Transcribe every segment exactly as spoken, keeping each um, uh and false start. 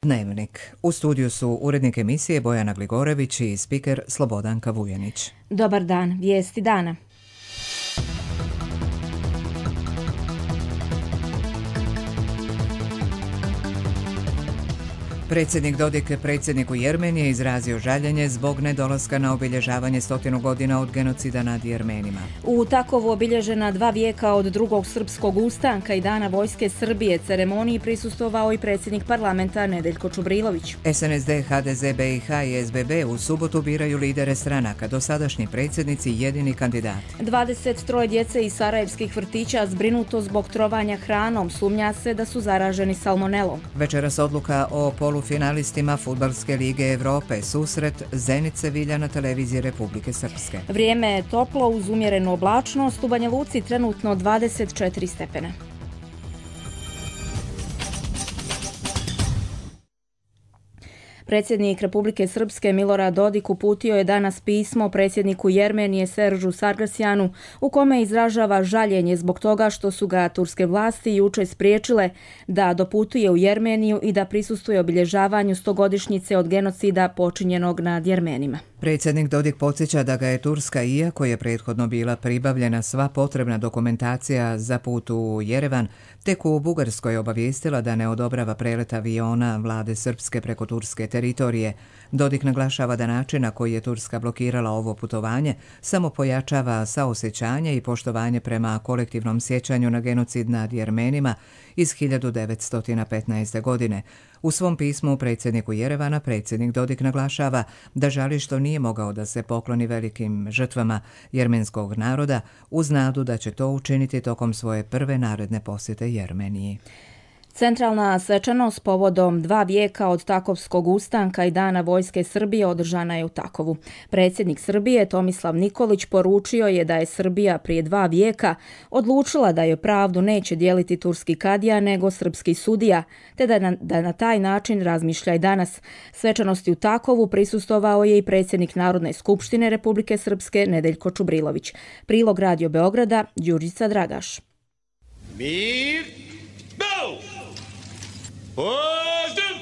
Dnevnik. U studiju su urednik emisije Bojana Gligorević i spiker Slobodanka Vujanić. Dobar dan, vijesti dana. Predsjednik Dodik predsjedniku Jermenije izrazio žaljenje zbog nedolaska na obilježavanje stotinu godina od genocida nad Jermenima. U Takovu obilježena dva vijeka od drugog srpskog ustanka i dana vojske Srbije ceremoniji prisustvovao i predsjednik parlamenta Nedeljko Čubrilović. S N S D, H D Z, B I H i S B B u subotu biraju lidere stranaka, dosadašnji predsjednici jedini kandidati. dvadeset troje djece iz sarajevskih vrtića zbrinuto zbog trovanja hranom, sumnja se da su zaraženi salmonelom. Večeras odluka o polufinalistima Fudbalske lige Europe, susret Zenit Sevilja na televiziji Republike Srpske. Vrijeme je toplo uz umjerenu oblačnost, u Banja Luci trenutno dvadeset četiri stepena. Predsjednik Republike Srpske Milorad Dodik uputio je danas pismo predsjedniku Jermenije Seržu Sargsjanu u kome izražava žaljenje zbog toga što su ga turske vlasti jučer spriječile da doputuje u Jermeniju i da prisustvuje obilježavanju stogodišnjice od genocida počinjenog nad Jermenima. Predsjednik Dodik podsjeća da ga je Turska, iako je prethodno bila pribavljena sva potrebna dokumentacija za put u Jerevan, tek u Bugarskoj obavijestila da ne odobrava prelet aviona vlade Srpske preko turske teritorije. Dodik naglašava da način na koji je Turska blokirala ovo putovanje samo pojačava saosjećanje i poštovanje prema kolektivnom sjećanju na genocid nad Jermenima iz hiljadu devetsto petnaeste. godine. U svom pismu predsjedniku Jerevana predsjednik Dodik naglašava da žali što nije mogao da se pokloni velikim žrtvama jermenskog naroda uz nadu da će to učiniti tokom svoje prve naredne posjete Jermeniji. Centralna svečanost povodom dva vijeka od Takovskog ustanka i dana vojske Srbije održana je u Takovu. Predsjednik Srbije Tomislav Nikolić poručio je da je Srbija prije dva vijeka odlučila da joj pravdu neće dijeliti turski kadija nego srpski sudija, te da na, da na taj način razmišlja i danas. Svečanosti u Takovu prisustvovao je i predsjednik Narodne skupštine Republike Srpske Nedeljko Čubrilović. Prilog Radio Beograda, Đurđica Dragaš. Mir, go! Pozdrav!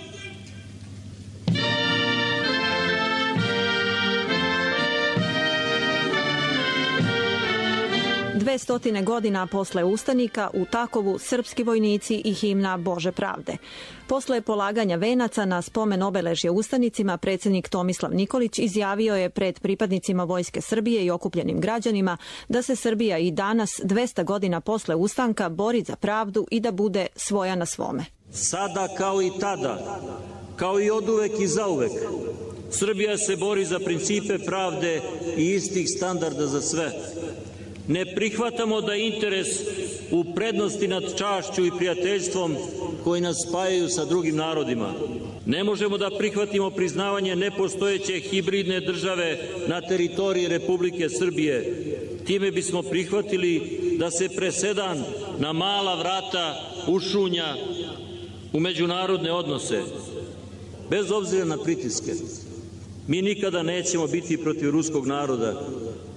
Dve stotine godina posle ustanika u Takovu srpski vojnici i himna Bože pravde. Posle polaganja venaca na spomen obeležje ustanicima, predsjednik Tomislav Nikolić izjavio je pred pripadnicima Vojske Srbije i okupljenim građanima da se Srbija i danas, dvesta godina posle ustanka, bori za pravdu i da bude svoja na svome. Sada kao i tada, kao i oduvek i zauvek, Srbija se bori za principe pravde i istih standarda za sve. Ne prihvatamo da interes u prednosti nad čašću i prijateljstvom koji nas spajaju sa drugim narodima. Ne možemo da prihvatimo priznavanje nepostojeće hibridne države na teritoriji Republike Srbije. Time bismo prihvatili da se presedan na mala vrata ušunja u međunarodne odnose. Bez obzira na pritiske, mi nikada nećemo biti protiv ruskog naroda,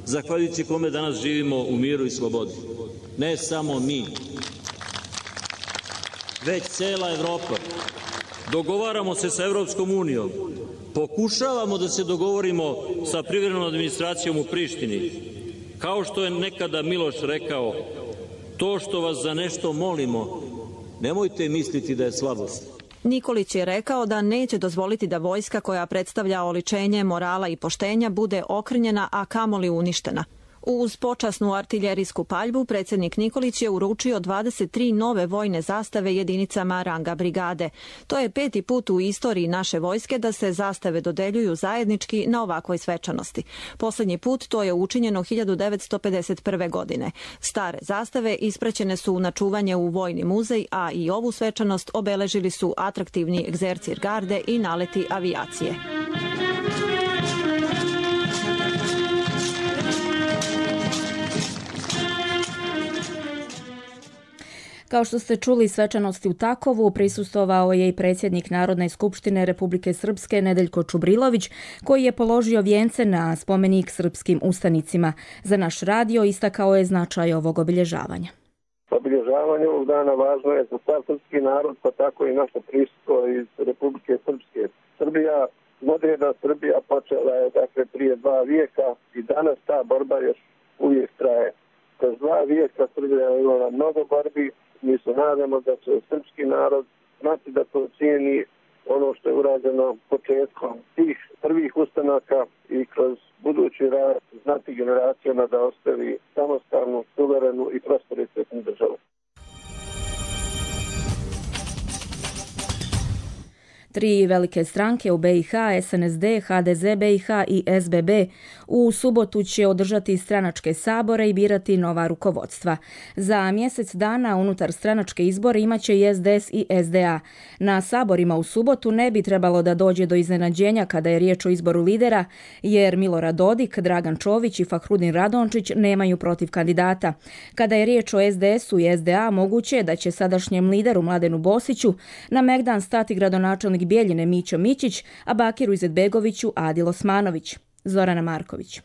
zahvaljujući kome danas živimo u miru i slobodi. Ne samo mi, već cela Evropa. Dogovaramo se sa Evropskom unijom, pokušavamo da se dogovorimo sa privremenom administracijom u Prištini. Kao što je nekada Miloš rekao, to što vas za nešto molimo, nemojte misliti da je slabost. Nikolić je rekao da neće dozvoliti da vojska koja predstavlja oličenje morala i poštenja bude okrnjena, a kamoli uništena. Uz počasnu artiljerijsku paljbu predsjednik Nikolić je uručio dvadeset tri nove vojne zastave jedinicama ranga brigade. To je peti put u istoriji naše vojske da se zastave dodeljuju zajednički na ovakvoj svečanosti. Posljednji put to je učinjeno hiljadu devetsto pedeset prve. godine. Stare zastave ispraćene su na čuvanje u Vojni muzej, a i ovu svečanost obeležili su atraktivni egzercir garde i naleti avijacije. Kao što ste čuli, svečanosti u Takovu prisustvovao je i predsjednik Narodne skupštine Republike Srpske Nedeljko Čubrilović, koji je položio vijence na spomenik srpskim ustanicima. Za naš radio istakao je značaj ovog obilježavanja. Obilježavanje ovog dana važno je za sav srpski narod, pa tako i naše prisustvo iz Republike Srpske. Srbija, moderna Srbija počela je dakle prije dva vijeka i danas ta borba još uvijek traje. Kroz dva vijeka Srbija je imala mnogo borbi, mi se nadamo da će srpski narod znati da to cijeni ono što je urađeno početkom tih prvih ustanaka i kroz budući rad znati generacijama da ostavi samostalnu, suverenu i prosperitetnu državu. Tri velike stranke u B i H, S N S D, H D Z B i H i S B B u subotu će održati stranačke sabore i birati nova rukovodstva. Za mjesec dana unutar stranačke izbore imaće i S D S i S D A. Na saborima u subotu ne bi trebalo da dođe do iznenađenja kada je riječ o izboru lidera, jer Milorad Dodik, Dragan Čović i Fahrudin Radončić nemaju protiv kandidata. Kada je riječ o S D S-u i S D A, moguće je da će sadašnjem lideru Mladenu Bosiću na megdan stati gradonačelnik Bijeljine Mićo Mićić, a Bakiru Izetbegoviću Adil Osmanović. Zorana Marković.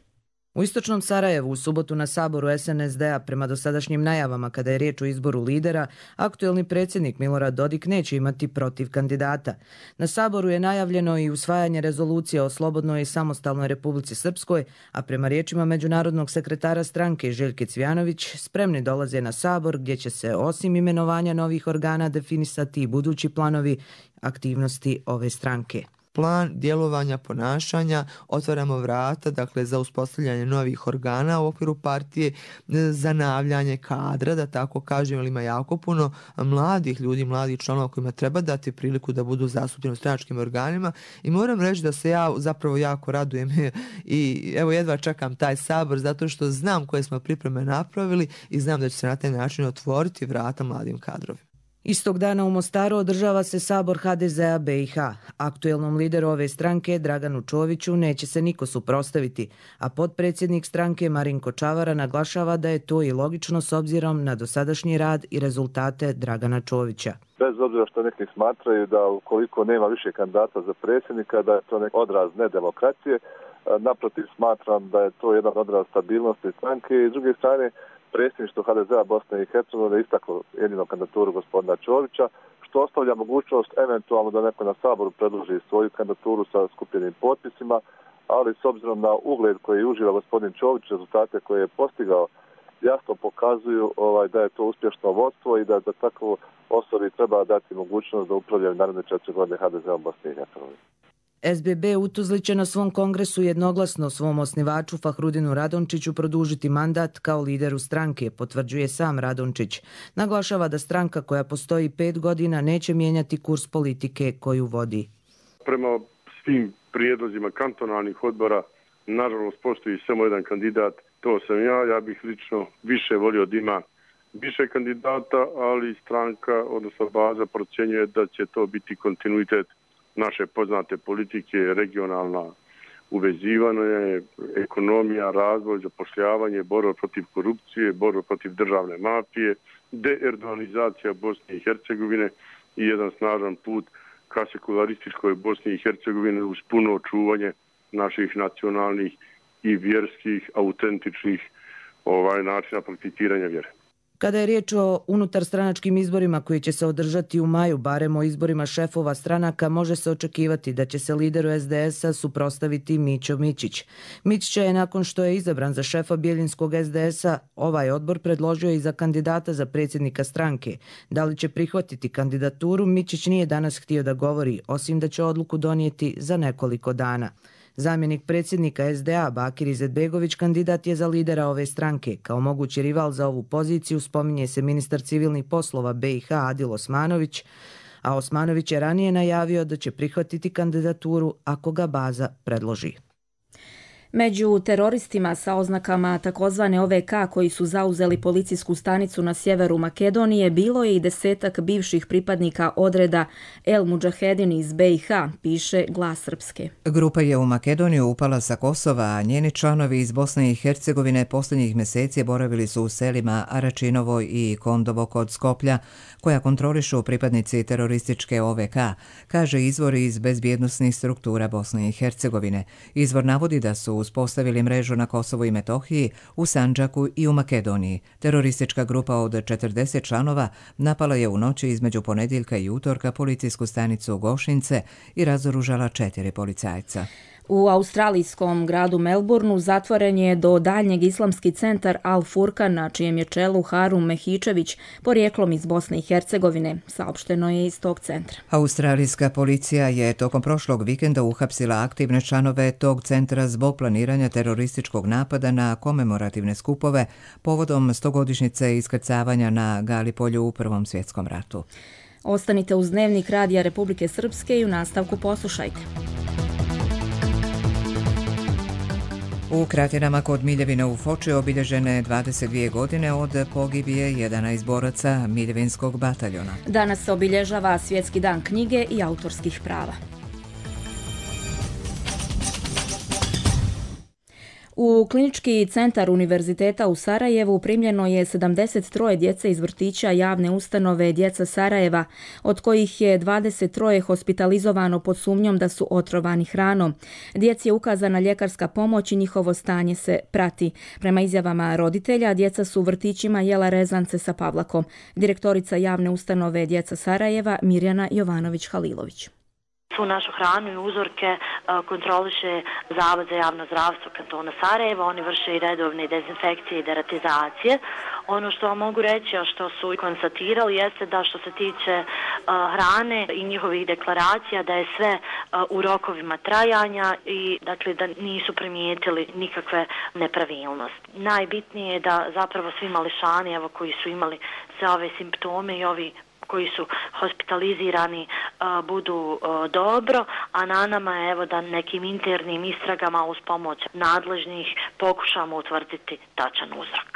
U istočnom Sarajevu u subotu na saboru S N S D-a prema dosadašnjim najavama kada je riječ o izboru lidera, aktuelni predsjednik Milorad Dodik neće imati protiv kandidata. Na saboru je najavljeno i usvajanje rezolucije o slobodnoj i samostalnoj Republici Srpskoj, a prema riječima međunarodnog sekretara stranke Željke Cvjanović spremni dolaze na sabor gdje će se osim imenovanja novih organa definisati i budući planovi aktivnosti ove stranke. Plan djelovanja, ponašanja, otvaramo vrata dakle, za uspostavljanje novih organa u okviru partije, zanavljanje kadra, da tako kažem, jer ima jako puno mladih ljudi, mladih članova kojima treba dati priliku da budu zastupljeni u stranačkim organima i moram reći da se ja zapravo jako radujem i evo jedva čekam taj sabor zato što znam koje smo pripreme napravili i znam da će se na taj način otvoriti vrata mladim kadrovima. Istog dana u Mostaru održava se sabor H D Z-a B i H. Aktuelnom lideru ove stranke, Draganu Čoviću, neće se niko suprotstaviti, a potpredsjednik stranke Marinko Čavara naglašava da je to i logično s obzirom na dosadašnji rad i rezultate Dragana Čovića. Bez obzira što neki smatraju da ukoliko nema više kandidata za predsjednika, da je to neki odraz nedemokracije, naprotiv smatram da je to jedan odraz stabilnosti stranke i s druge strane predsjedništvo H D Z-a Bosne i Hercegovine istaklo jedinu kandidaturu gospodina Čovića, što ostavlja mogućnost eventualno da neko na saboru predloži svoju kandidaturu sa skupljenim potpisima, ali s obzirom na ugled koji uživa gospodin Čović, rezultate koje je postigao, jasno pokazuju ovaj, da je to uspješno vodstvo i da za takvu osobi treba dati mogućnost da upravljaju naredne četiri godine H D Z-a Bosne i Hercegovine. S B B u Tuzli će na svom kongresu jednoglasno svom osnivaču Fahrudinu Radončiću produžiti mandat kao lideru stranke, potvrđuje sam Radončić. Naglašava da stranka koja postoji pet godina neće mijenjati kurs politike koju vodi. Prema svim prijedlozima kantonalnih odbora, nažalost postoji samo jedan kandidat, to sam ja. Ja bih lično više volio da ima više kandidata, ali stranka, odnosno baza, procjenjuje da će to biti kontinuitet naše poznate politike, regionalna uvezivanje, ekonomija, razvoj, zapošljavanje, borba protiv korupcije, borba protiv državne mafije, deerdonizacija Bosne i Hercegovine i jedan snažan put ka sekularističkoj Bosni i Hercegovine uz puno očuvanje naših nacionalnih i vjerskih, autentičnih ovaj, načina prakticiranja vjere. Kada je riječ o unutarstranačkim izborima koji će se održati u maju, barem o izborima šefova stranaka, može se očekivati da će se lideru S D S-a suprotstaviti Mićo Mićić. Mićića je nakon što je izabran za šefa bijeljinskog S D S-a, ovaj odbor predložio i za kandidata za predsjednika stranke. Da li će prihvatiti kandidaturu, Mićić nije danas htio da govori, osim da će odluku donijeti za nekoliko dana. Zamjenik predsjednika S D A Bakir Izetbegović kandidat je za lidera ove stranke. Kao mogući rival za ovu poziciju spominje se ministar civilnih poslova B i H Adil Osmanović, a Osmanović je ranije najavio da će prihvatiti kandidaturu ako ga baza predloži. Među teroristima sa oznakama takozvane O V K koji su zauzeli policijsku stanicu na sjeveru Makedonije bilo je i desetak bivših pripadnika odreda El Mudžahedin iz B i H, piše Glas Srpske. Grupa je u Makedoniju upala sa Kosova, a njeni članovi iz Bosne i Hercegovine posljednjih mjeseci boravili su u selima Aračinovo i Kondovo kod Skoplja, koja kontrolišu pripadnici terorističke O V K, kaže izvor iz bezbjednosnih struktura Bosne i Hercegovine. Izvor navodi da su uspostavili mrežu na Kosovu i Metohiji, u Sandžaku i u Makedoniji. Teroristička grupa od četrdeset članova napala je u noći između ponedjeljka i utorka policijsku stanicu Gošince i razoružala četiri policajca. U australijskom gradu Melbourneu zatvoren je do daljnjeg islamski centar Al Furkan, na čijem je čelu Harum Mehičević, porijeklom iz Bosne i Hercegovine, saopšteno je iz tog centra. Australijska policija je tokom prošlog vikenda uhapsila aktivne članove tog centra zbog planiranja terorističkog napada na komemorativne skupove povodom stogodišnjice iskrcavanja na Galipolju u Prvom svjetskom ratu. Ostanite uz Dnevnik Radija Republike Srpske i u nastavku poslušajte. U Kratinama kod Miljevina u Foči obilježene dvadeset dvije godine od pogibije jedanaest boraca Miljevinskog bataljona. Danas se obilježava Svjetski dan knjige i autorskih prava. U klinički centar Univerziteta u Sarajevu primljeno je sedamdeset tri djece iz vrtića javne ustanove Djeca Sarajeva, od kojih je dvadeset tri hospitalizovano pod sumnjom da su otrovani hranom. Djeci je ukazana ljekarska pomoć i njihovo stanje se prati. Prema izjavama roditelja, djeca su u vrtićima jela rezance sa pavlakom. Direktorica javne ustanove Djeca Sarajeva Mirjana Jovanović-Halilović. Svu našu hranu i uzorke kontroliše Zavod za javno zdravstvo kantona Sarajeva. Oni vrše i redovne dezinfekcije i deratizacije. Ono što vam mogu reći, a što su konstatirali, jeste da što se tiče hrane i njihovih deklaracija, da je sve u rokovima trajanja i dakle da nisu primijetili nikakve nepravilnosti. Najbitnije je da zapravo svi mališani, evo, koji su imali sve ove simptome i ovi koji su hospitalizirani budu dobro, a na nama je evo da nekim internim istragama uz pomoć nadležnih pokušamo utvrditi tačan uzrok.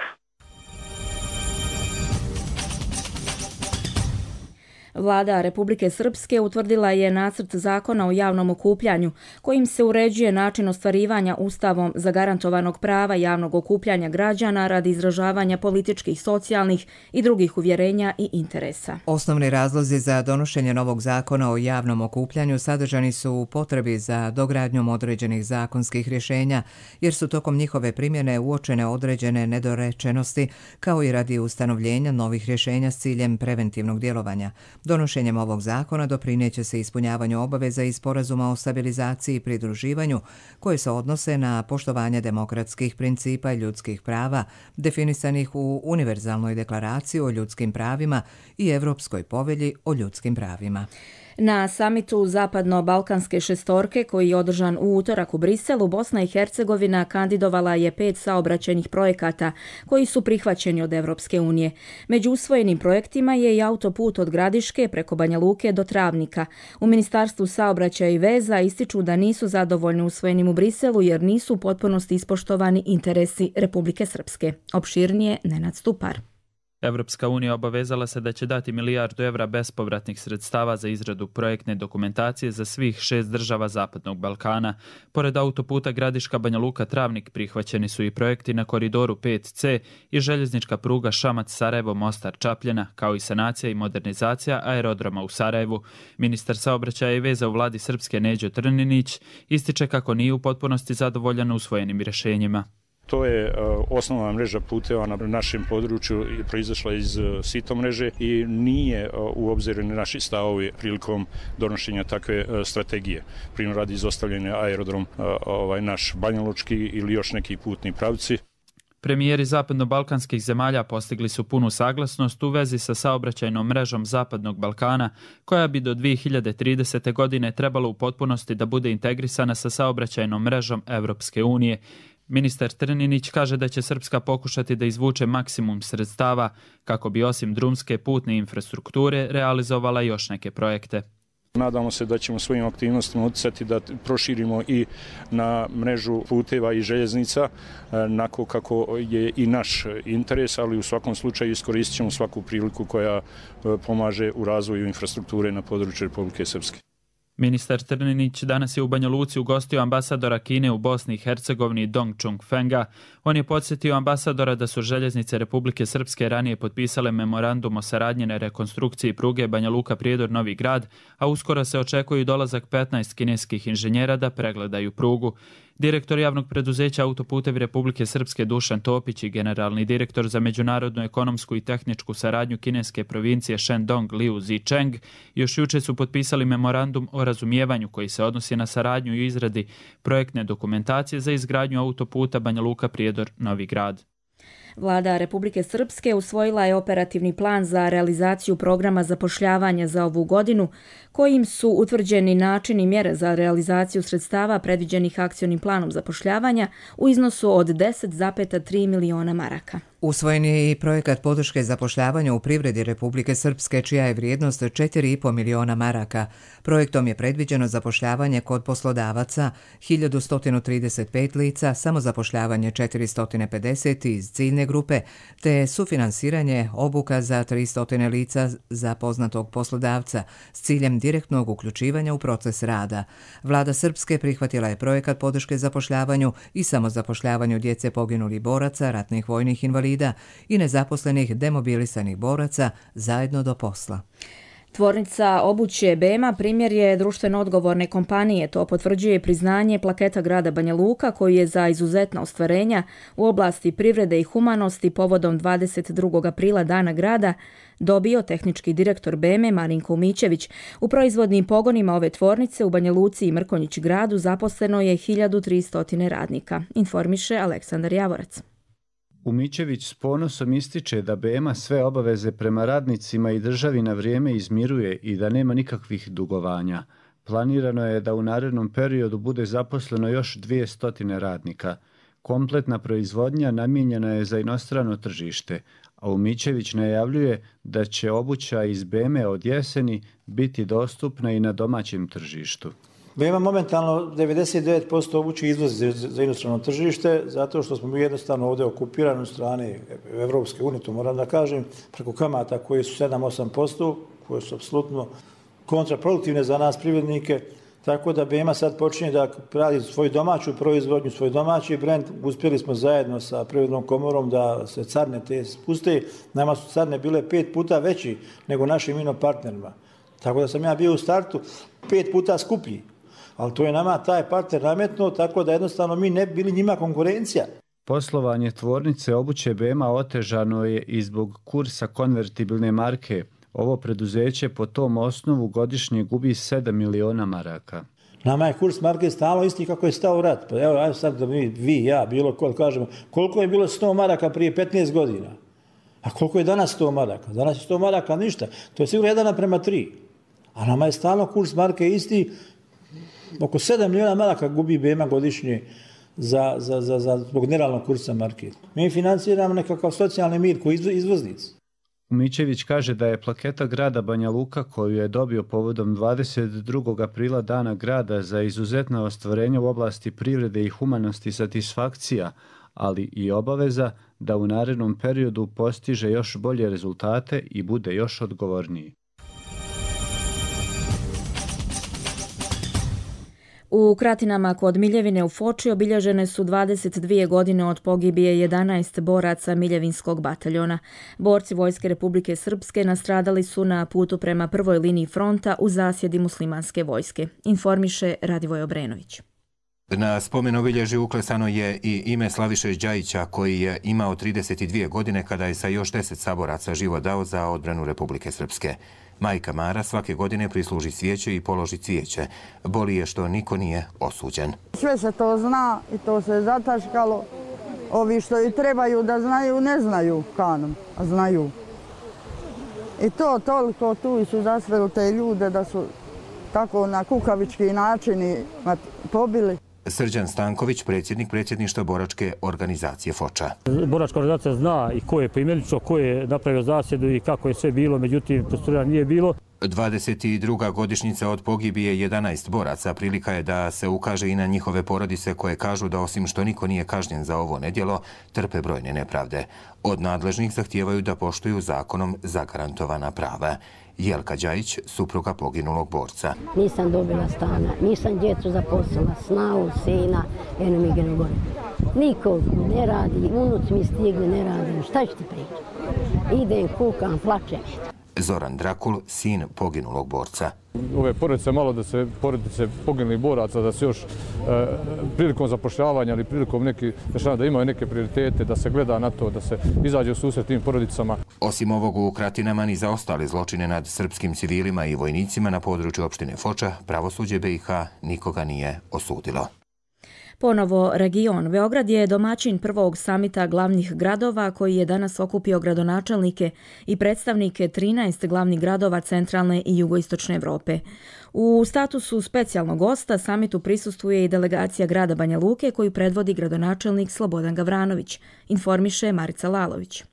Vlada Republike Srpske utvrdila je nacrt zakona o javnom okupljanju, kojim se uređuje način ostvarivanja Ustavom zagarantovanog prava javnog okupljanja građana radi izražavanja političkih, socijalnih i drugih uvjerenja i interesa. Osnovni razlozi za donošenje novog zakona o javnom okupljanju sadržani su u potrebi za dogradnjom određenih zakonskih rješenja, jer su tokom njihove primjene uočene određene nedorečenosti, kao i radi ustanovljenja novih rješenja s ciljem preventivnog djelovanja. Donošenjem ovog zakona doprineće se ispunjavanju obaveza iz sporazuma o stabilizaciji i pridruživanju koje se odnose na poštovanje demokratskih principa i ljudskih prava definisanih u Univerzalnoj deklaraciji o ljudskim pravima i Europskoj povelji o ljudskim pravima. Na samitu Zapadno-Balkanske šestorke, koji je održan u utorak u Briselu, Bosna i Hercegovina kandidovala je pet saobraćajnih projekata koji su prihvaćeni od Evropske unije. Među usvojenim projektima je i autoput od Gradiške preko Banja Luke do Travnika. U Ministarstvu saobraćaja i veza ističu da nisu zadovoljni usvojenim u Briselu jer nisu u potpunosti ispoštovani interesi Republike Srpske. Opširnije Nenad Stupar. Evropska unija obavezala se da će dati milijardu evra bespovratnih sredstava za izradu projektne dokumentacije za svih šest država Zapadnog Balkana. Pored autoputa Gradiška Banja Luka Travnik prihvaćeni su i projekti na koridoru pet ce i željeznička pruga Šamac Sarajevo Mostar Čapljena, kao i sanacija i modernizacija aerodroma u Sarajevu. Ministar saobraćaja i veza u vladi Srpske Neđo Trninić ističe kako nije u potpunosti zadovoljan usvojenim rješenjima. To je osnovna mreža puteva na našem području proizašla iz sito mreže i nije u obziru na naši stavovi prilikom donošenja takve strategije. Primjer radi izostavljanja aerodrom ovaj, naš Banjalučki ili još neki putni pravci. Premijeri zapadno-balkanskih zemalja postigli su punu saglasnost u vezi sa saobraćajnom mrežom Zapadnog Balkana, koja bi do dvije hiljade tridesete. godine trebala u potpunosti da bude integrisana sa saobraćajnom mrežom Evropske unije. Ministar Trninić kaže da će Srpska pokušati da izvuče maksimum sredstava kako bi osim drumske putne infrastrukture realizovala još neke projekte. Nadamo se da ćemo svojim aktivnostima utjecati da proširimo i na mrežu puteva i željeznica, onako kako je i naš interes, ali u svakom slučaju iskoristit ćemo svaku priliku koja pomaže u razvoju infrastrukture na području Republike Srpske. Ministar Trninić danas je u Banja Luci ugostio ambasadora Kine u Bosni i Hercegovini Dong Chung Fenga. On je podsjetio ambasadora da su željeznice Republike Srpske ranije potpisale memorandum o saradnji na rekonstrukciji pruge Banja Luka Prijedor Novi Grad, a uskoro se očekuje dolazak petnaest kineskih inženjera da pregledaju prugu. Direktor javnog preduzeća Autoputevi Republike Srpske Dušan Topić i generalni direktor za međunarodnu ekonomsku i tehničku saradnju kineske provincije Shandong Liu Zicheng još juče su potpisali memorandum o razumijevanju koji se odnosi na saradnju i izradi projektne dokumentacije za izgradnju autoputa Banja Luka Prijedor Novi Grad. Vlada Republike Srpske usvojila je operativni plan za realizaciju programa zapošljavanja za ovu godinu, kojim su utvrđeni načini i mjere za realizaciju sredstava predviđenih akcionim planom zapošljavanja u iznosu od deset zarez tri miliona maraka. Usvojen je i projekat podrške zapošljavanju u privredi Republike Srpske, čija je vrijednost četiri zarez pet miliona maraka. Projektom je predviđeno zapošljavanje kod poslodavaca hiljadu sto trideset pet lica, samozapošljavanje četiristo pedeset iz ciljne grupe, te sufinansiranje obuka za tristo lica za poznatog poslodavca s ciljem direktnog uključivanja u proces rada. Vlada Srpske prihvatila je projekat podrške zapošljavanju i samozapošljavanju djece poginulih boraca, ratnih vojnih invalida i nezaposlenih demobilisanih boraca zajedno do posla. Tvornica obuće B E M A primjer je društveno odgovorne kompanije. To potvrđuje priznanje plaketa grada Banja Luka koji je za izuzetna ostvarenja u oblasti privrede i humanosti povodom dvadeset drugog aprila Dana grada dobio tehnički direktor B E M A Marinko Umićević. U proizvodnim pogonima ove tvornice u Banja Luci i Mrkonjić gradu zaposleno je hiljadu tristo radnika, informiše Aleksandar Javorac. Umićević s ponosom ističe da B E M A sve obaveze prema radnicima i državi na vrijeme izmiruje i da nema nikakvih dugovanja. Planirano je da u narednom periodu bude zaposleno još dvjesto radnika. Kompletna proizvodnja namijenjena je za inostrano tržište, a Umićević najavljuje da će obuća iz B E M A od jeseni biti dostupna i na domaćem tržištu. B E M A momentalno devedeset devet posto obuće izvozi za inostrano tržište, zato što smo mi jednostavno ovdje okupirani od strane Evropske unije, to moram da kažem, preko kamata koje su sedam do osam posto, koje su apsolutno kontraproduktivne za nas privrednike, tako da B E M A sad počinje da radi svoju domaću proizvodnju, svoj domaći brend. Uspjeli smo zajedno sa Privrednom komorom da se carne te spuste. Nama su carne bile pet puta veći nego našim ino partnerima. Tako da sam ja bio u startu pet puta skuplji. Ali to je nama taj partner nametno, tako da jednostavno mi ne bi bili njima konkurencija. Poslovanje tvornice obuće B E M A otežano je i zbog kursa konvertibilne marke. Ovo preduzeće po tom osnovu godišnje gubi sedam miliona maraka. Nama je kurs marke stalno isti kako je stao rat. Pa evo, ajde sad da mi, vi, ja, bilo ko, kažemo, koliko je bilo sto maraka prije petnaest godina? A koliko je danas sto maraka? Danas je sto maraka ništa. To je sigurno jedan prema tri. A nama je stalno kurs marke isti. Oko sedam miliona maraka gubi B E M A godišnje za, za, za, za, zbog nerealnog kursa marke. Mi financiramo nekakav socijalni mir koji izvoznici. Umićević kaže da je plaketa grada Banja Luka koju je dobio povodom dvadeset drugog aprila Dana grada za izuzetna ostvarenja u oblasti privrede i humanosti satisfakcija, ali i obaveza da u narednom periodu postiže još bolje rezultate i bude još odgovorniji. U Kratinama kod Miljevine u Foči obilježene su dvadeset dvije godine od pogibije jedanaest boraca Miljevinskog bataljona. Borci Vojske Republike Srpske nastradali su na putu prema prvoj liniji fronta u zasjedi muslimanske vojske, informiše Radivoj Obrenović. Na spomen obilježju uklesano je i ime Slaviše Đajića koji je imao trideset dvije godine kada je sa još deset saboraca život dao za odbranu Republike Srpske. Majka Mara svake godine prisluži cvijeće i položi cvijeće. Boli je što niko nije osuđen. Sve se to zna i to se zataškalo. Ovi što i trebaju da znaju, ne znaju kanom, a znaju. I to toliko tu su zasveli te ljude da su tako na kukavički načini pobili. Srđan Stanković, predsjednik predsjedništva boračke organizacije Foča. Boračka organizacija zna i ko je poimenično, ko je napravio zasjedu i kako je sve bilo, međutim, procedura nije bilo. dvadeset druga godišnjica od pogibije jedanaest boraca prilika je da se ukaže i na njihove porodice koje kažu da osim što niko nije kažnjen za ovo nedjelo, trpe brojne nepravde. Od nadležnih zahtijevaju da poštuju zakonom zagarantovana prava. Jelka Đajić, supruga poginulog borca. Nisam dobila stana, nisam djecu zaposlila, snavu, sina, jedno mi genu gore. Niko ne radi, unuci mi stigli, ne radim, šta ću ti pričati? Idem, kukam, plačem. Zoran Drakul, sin poginulog borca. Ove porodice, malo da se porodice poginulih boraca, da se još e, prilikom zapošljavanja ili prilikom nekih dešavanja da imaju neke prioritete, da se gleda na to, da se izađe u susret tim porodicama. Osim ovog u Kratinama, ni za ostale zločine nad srpskim civilima i vojnicima na području opštine Foča, pravosuđe B i H nikoga nije osudilo. Ponovo region. Beograd je domaćin prvog samita glavnih gradova koji je danas okupio gradonačelnike i predstavnike trinaest glavnih gradova centralne i jugoistočne Evrope. U statusu specijalnog gosta samitu prisustvuje i delegacija grada Banja Luke koju predvodi gradonačelnik Slobodan Gavranović, informiše Marica Lalović.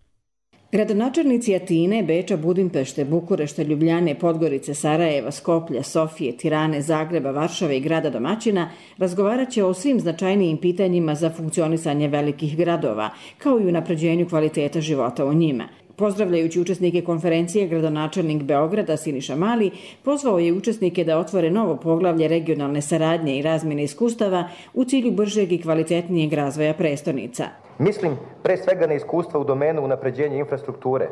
Gradonačelnici Atine, Beča, Budimpešte, Bukurešta, Ljubljane, Podgorice, Sarajeva, Skoplja, Sofije, Tirane, Zagreba, Varšave i grada domaćina razgovarat će o svim značajnijim pitanjima za funkcionisanje velikih gradova, kao i unapređenju kvaliteta života u njima. Pozdravljajući učesnike konferencije, gradonačelnik Beograda Siniša Mali pozvao je učesnike da otvore novo poglavlje regionalne saradnje i razmjene iskustava u cilju bržeg i kvalitetnijeg razvoja prestonica. Mislim pre svega na iskustva u domenu unapređenja infrastrukture,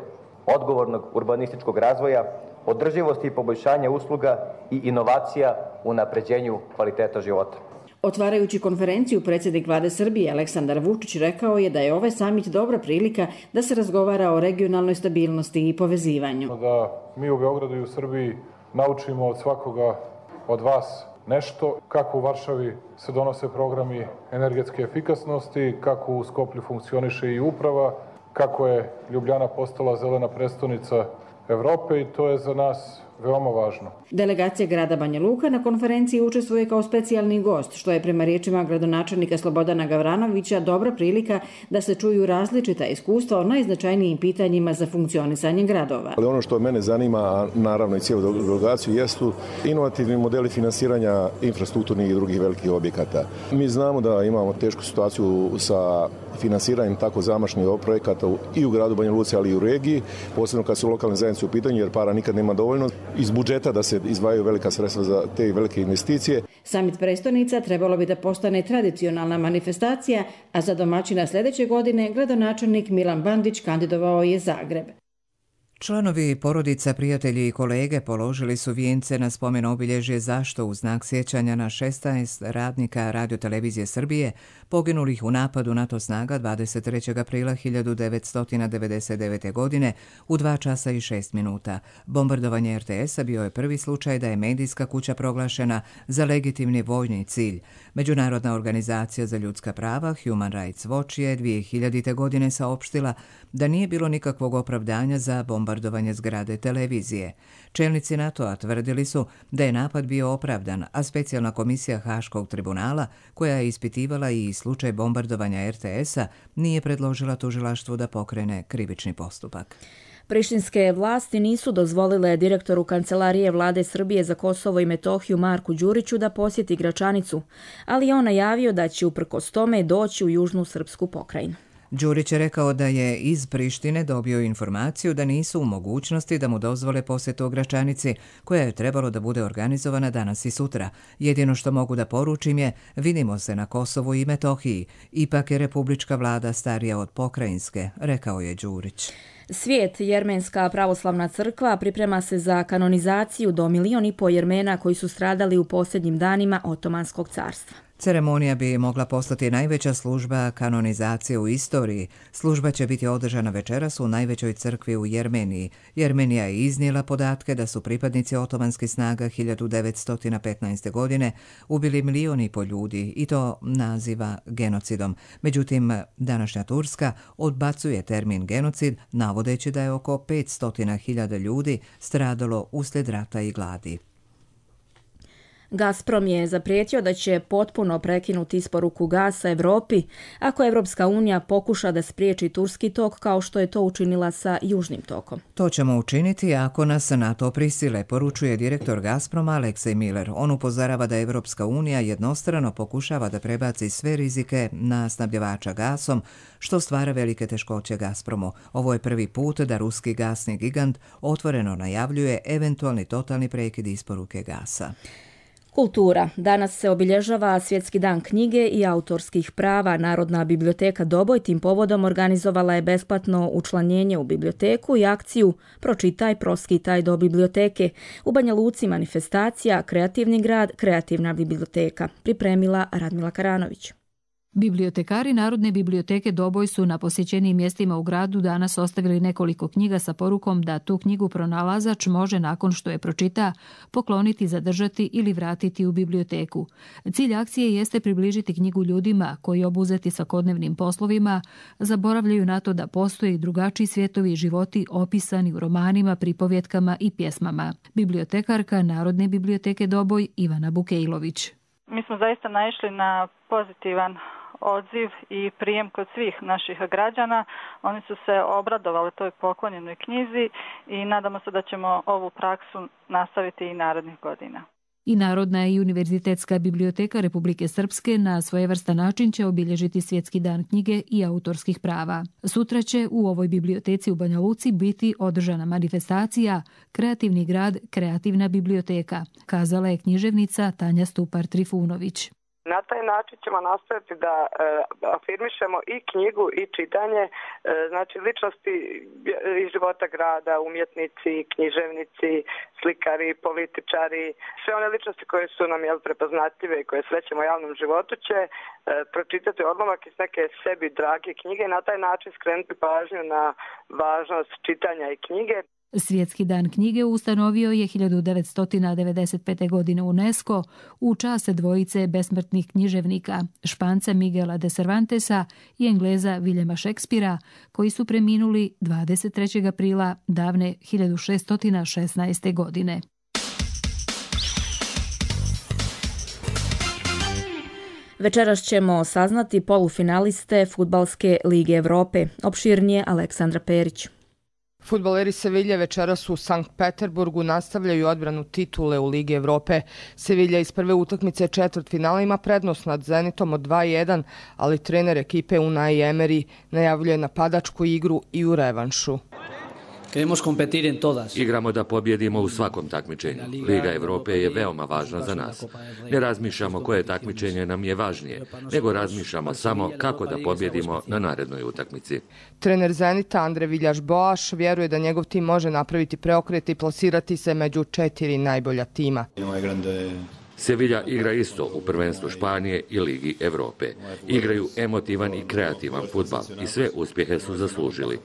odgovornog urbanističkog razvoja, održivosti i poboljšanja usluga i inovacija u unapređenju kvaliteta života. Otvarajući konferenciju, predsjednik vlade Srbije Aleksandar Vučić rekao je da je ovaj samit dobra prilika da se razgovara o regionalnoj stabilnosti i povezivanju. Da mi u Beogradu i u Srbiji naučimo od svakoga od vas nešto, kako u Varšavi se donose programi energetske efikasnosti, kako u Skoplju funkcioniše i uprava, kako je Ljubljana postala zelena prestonica Evrope i to je za nas veoma važno. Delegacija grada Banja Luka na konferenciji učestvuje kao specijalni gost, što je prema riječima gradonačelnika Slobodana Gavranovića dobra prilika da se čuju različita iskustva o najznačajnijim pitanjima za funkcionisanje gradova. Ali ono što mene zanima, a naravno i cijelu delegaciju, jesu inovativni modeli finansiranja infrastrukturnih i drugih velikih objekata. Mi znamo da imamo tešku situaciju sa finansiranjem tako zamašnih projekata i u gradu Banja Luci, ali i u regiji, posebno kad su lokalne zajednice u pitanju, jer para nikad nema dovoljno iz budžeta da se izdvajaju velika sredstva za te velike investicije. Samit prestonica trebalo bi da postane tradicionalna manifestacija, a za domaćina sljedeće godine gradonačelnik Milan Bandić kandidovao je Zagreb. Članovi porodica, prijatelji i kolege položili su vijence na spomen obilježje zašto u znak sjećanja na šesnaest radnika Radiotelevizije Srbije poginulih u napadu NATO snaga dvadeset trećeg aprila hiljadu devetsto devedeset devete. godine u dva časa i šest minuta. Bombardovanje R T S-a bio je prvi slučaj da je medijska kuća proglašena za legitimni vojni cilj. Međunarodna organizacija za ljudska prava Human Rights Watch je dvije hiljadite. godine saopštila da nije bilo nikakvog opravdanja za bombardovanje zgrade televizije. Čelnici NATO-a tvrdili su da je napad bio opravdan, a specijalna komisija Haškog tribunala, koja je ispitivala i slučaj bombardovanja R T S-a, nije predložila tužilaštvu da pokrene krivični postupak. Prištinske vlasti nisu dozvolile direktoru Kancelarije vlade Srbije za Kosovo i Metohiju Marku Đuriću da posjeti Gračanicu, ali je on najavio da će uprkos tome doći u južnu srpsku pokrajinu. Đurić je rekao da je iz Prištine dobio informaciju da nisu u mogućnosti da mu dozvole posjetu Gračanici, koja je trebalo da bude organizovana danas i sutra. Jedino što mogu da poručim je, vidimo se na Kosovu i Metohiji. Ipak je republička vlada starija od pokrajinske, rekao je Đurić. Svijet, Jermenska pravoslavna crkva, priprema se za kanonizaciju do milion i po Jermena koji su stradali u posljednjim danima Otomanskog carstva. Ceremonija bi mogla postati najveća služba kanonizacije u istoriji. Služba će biti održana večeras u najvećoj crkvi u Jermeniji. Jermenija je iznijela podatke da su pripadnici otomanskih snaga hiljadu devetsto petnaeste. godine ubili milion i po ljudi i to naziva genocidom. Međutim, današnja Turska odbacuje termin genocid, navodeći da je oko petsto hiljada ljudi stradalo uslijed rata i gladi. Gazprom je zaprijetio da će potpuno prekinuti isporuku gasa Evropi ako Evropska unija pokuša da spriječi turski tok kao što je to učinila sa južnim tokom. To ćemo učiniti ako nas na to prisile, poručuje direktor Gazproma Aleksej Miller. On upozorava da Evropska unija jednostrano pokušava da prebaci sve rizike na snabdjevača gasom, što stvara velike teškoće Gazpromu. Ovo je prvi put da ruski gasni gigant otvoreno najavljuje eventualni totalni prekid isporuke gasa. Kultura. Danas se obilježava Svjetski dan knjige i autorskih prava. Narodna biblioteka Doboj tim povodom organizovala je besplatno učlanjenje u biblioteku i akciju Pročitaj, proskitaj do biblioteke. U Banja Luci manifestacija Kreativni grad, kreativna biblioteka. Pripremila Radmila Karanović. Bibliotekari Narodne biblioteke Doboj su na posjećenim mjestima u gradu danas ostavili nekoliko knjiga sa porukom da tu knjigu pronalazač može nakon što je pročita pokloniti, zadržati ili vratiti u biblioteku. Cilj akcije jeste približiti knjigu ljudima koji obuzeti svakodnevnim poslovima zaboravljaju na to da postoje drugačiji svjetovi i životi opisani u romanima, pripovjetkama i pjesmama. Bibliotekarka Narodne biblioteke Doboj Ivana Bukejlović. Mi smo zaista naišli na pozitivan odziv i prijem kod svih naših građana. Oni su se obradovali toj poklonjenoj knjizi i nadamo se da ćemo ovu praksu nastaviti i narednih godina. I Narodna i Univerzitetska biblioteka Republike Srpske na svojevrstan način će obilježiti Svjetski dan knjige i autorskih prava. Sutra će u ovoj biblioteci u Banja Luci biti održana manifestacija Kreativni grad, kreativna biblioteka, kazala je književnica Tanja Stupar-Trifunović. Na taj način ćemo nastaviti da e, afirmišemo i knjigu i čitanje, e, znači ličnosti iz života grada, umjetnici, književnici, slikari, političari, sve one ličnosti koje su nam jel, prepoznatljive i koje srećemo u javnom životu će e, pročitati odlomak iz neke sebi drage knjige i na taj način skrenuti pažnju na važnost čitanja i knjige. Svjetski dan knjige ustanovio je hiljadu devetsto devedeset pete. godine UNESCO u čast dvojice besmrtnih književnika, Španca Miguela de Cervantesa i Engleza Viljema Šekspira, koji su preminuli dvadeset trećeg aprila davne hiljadu šeststo šesnaeste. godine. Večeras ćemo saznati polufinaliste Fudbalske lige Evrope. Opširnije Aleksandra Perić. Fudbaleri Sevilje večeras u Sankt Peterburgu nastavljaju odbranu titule u Ligi Evrope. Sevilja iz prve utakmice četvrtfinala ima prednost nad Zenitom od dva jedan, ali trener ekipe Unai Emery najavljuje napadačku igru i u revanšu. Igramo da pobjedimo u svakom takmičenju. Liga Evrope je veoma važna za nas. Ne razmišljamo koje takmičenje nam je važnije, nego razmišljamo samo kako da pobjedimo na narednoj utakmici. Trener Zenita Andre Viljaš-Boaš vjeruje da njegov tim može napraviti preokret i plasirati se među četiri najbolja tima. Sevilla igra isto u prvenstvu Španije i Ligi Evrope. Igraju emotivan i kreativan fudbal i sve uspjehe su zaslužili.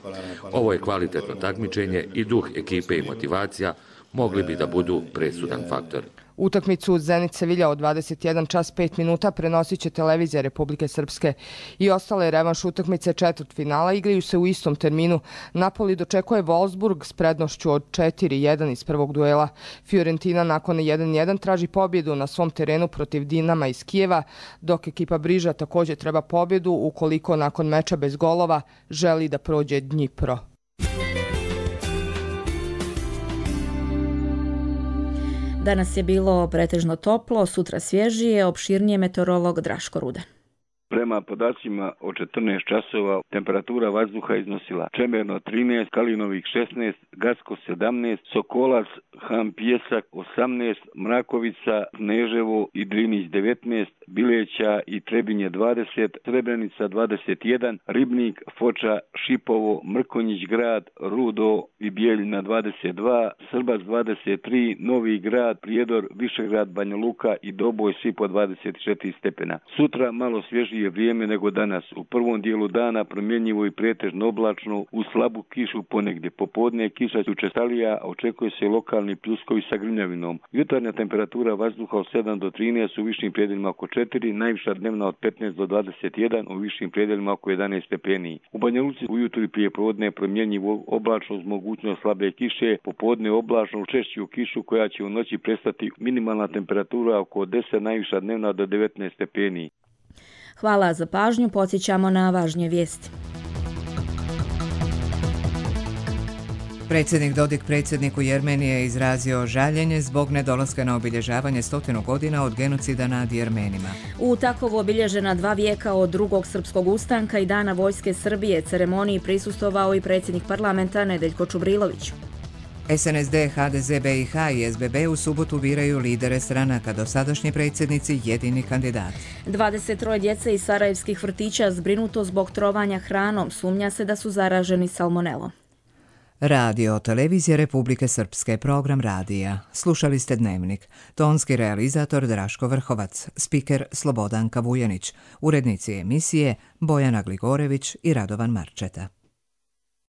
Ovo je kvalitetno takmičenje i duh ekipe i motivacija mogli bi da budu presudan faktor. Utakmicu Zenit Sevilja od dvadeset jedan čas pet minuta prenosit će televizija Republike Srpske i ostale revanš utakmice četvrtfinala igraju se u istom terminu. Napoli dočekuje Wolfsburg s prednošću od četiri jedan iz prvog duela. Fiorentina nakon jedan jedan traži pobjedu na svom terenu protiv Dinama iz Kijeva, dok ekipa Briža također treba pobjedu ukoliko nakon meča bez golova želi da prođe Dnjipro. Danas je bilo pretežno toplo, sutra svježije, opširnije meteorolog Draško Rudan. Prema podacima od četrnaest časova temperatura vazduha iznosila Čemerno trinaest, Kalinovik šesnaest, Gacko sedamnaest, Sokolac, Han Pjesak osamnaest, Mrakovica, Neževo i Drinić devetnaest, Bileća i Trebinje dvadeset, Srebrenica dvadeset jedan, Ribnik, Foča, Šipovo, Mrkonjić grad, Rudo i Bijeljina dvadeset dva, Srbac dvadeset tri, Novi grad, Prijedor, Višegrad, Banja Luka i Doboj svi po dvadeset četiri stepena. Sutra malo svježije je vrijeme nego danas. U prvom dijelu dana promjenjivo i pretežno oblačno, u slabu kišu ponegdje. Popodne kiša će učestalija, a očekuje se lokalni pljuskovi sa grmljavinom. Jutarnja temperatura vazduha od sedam do trinaest, u višim predjelima oko četiri, najviša dnevna od petnaest do dvadeset jedan, u višim predjelima oko jedanaest stepeni. U Banja Luci ujutro i prije podne promjenjivo oblačno uz mogućnost slabe kiše, popodne oblačno češću kišu koja će u noći prestati, minimalna temperatura oko deset, najviša dnevna do devetnaest stepeni. Hvala za pažnju, podsjećamo na važnije vijesti. Predsjednik Dodik predsjedniku Jermenije izrazio žaljenje zbog nedolaska na obilježavanje stotinu godina od genocida nad Jermenima. U Takovu obilježena dva vijeka od drugog srpskog ustanka i Dana vojske Srbije ceremoniji prisustvovao i predsjednik parlamenta Nedeljko Čubrilović. S N S D, H D Z B I H i S B B u subotu biraju lidere stranaka, dosadašnji predsjednici jedini kandidat. dvadeset troje djece iz sarajevskih vrtića zbrinuto zbog trovanja hranom, sumnja se da su zaraženi salmonelom. Radio Televizija Republike Srpske, program radija. Slušali ste Dnevnik. Tonski realizator Draško Vrhovac, spiker Slobodanka Vujanić, urednici emisije Bojana Gligorević i Radovan Marčeta.